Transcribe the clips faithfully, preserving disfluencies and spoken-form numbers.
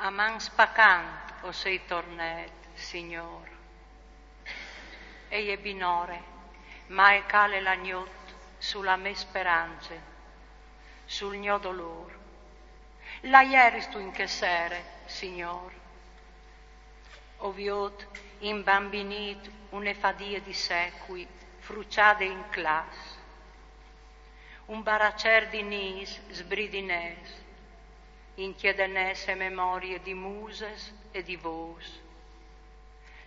A man spacant o sei tornêt, Signôr. E je binore, ma e cale la gnot su la mê sperance, sul gno dolôr. La jeristu in chê sere, Signôr? O viôt imbambinît une fadie di secui fruçade in class. Un baraçer di nîs sbridinès, inchiedenès e memorie di muses e di vôs.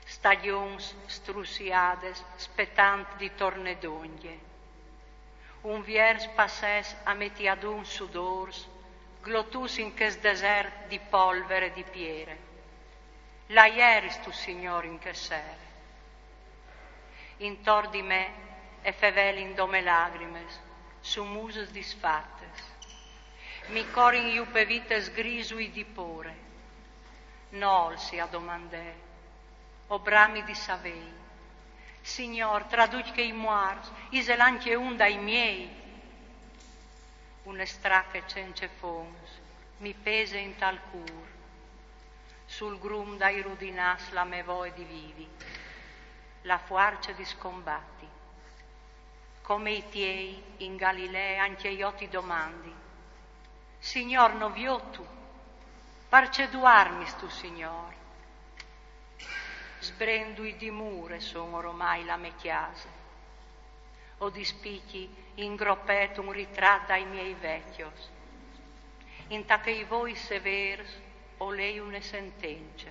Stagjons strussiades spetant di tornê dongje. Un viers passès a meti adun sudôrs, glotuts in chest desert di polvere e di piere. La jeristu, Signôr, in chê sere? Intor di me e fevelin dome lagrimes, su muses disfates. Mi corin jù pe vites grisui di pôre. Nol si a domandè, o brami di savei. Signôr, tra ducj chei muarts, isal ancje un dai miei? Une strache cence fons mi pese intal cûr. Sul grum dai rudinàs la mê voie di vivi, la fuarce di scombati. Come i tiei in Galilee, ancje jo ti domandi: Signôr, no viotu? Parcè duarmistu, Signôr? Sbrendui di mure son oromai la mê cjase. O dispichi in gropet un ritrat dai miei vecjos. Inta chei voi sevêrs o lei une sentence.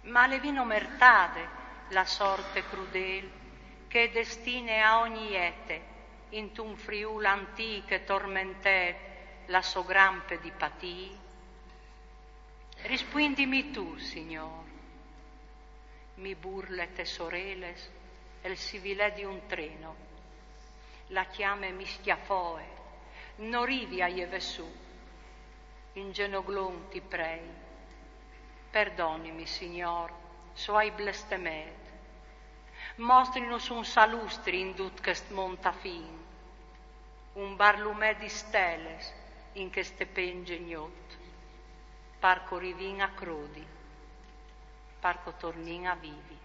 Ma le vino mertade la sorte crudêl che e destine a ogni ete intun Friûl antîc e tormentêt la sô grampe di patî? Rispuindimi tu, Signôr. Mi burle tes oreles el sivilè di un treno. La cjame mi scjafoe, no rivi a jeve sù. In zenoglon ti prei. Perdonimi, Signôr, se o ai blestemêt. Mostrinus un salustri in dut chest mont a fin. Un barlumè di steles in cheste pence gnot. Par che o rivìn a crodi, par che o tornìn a vivi.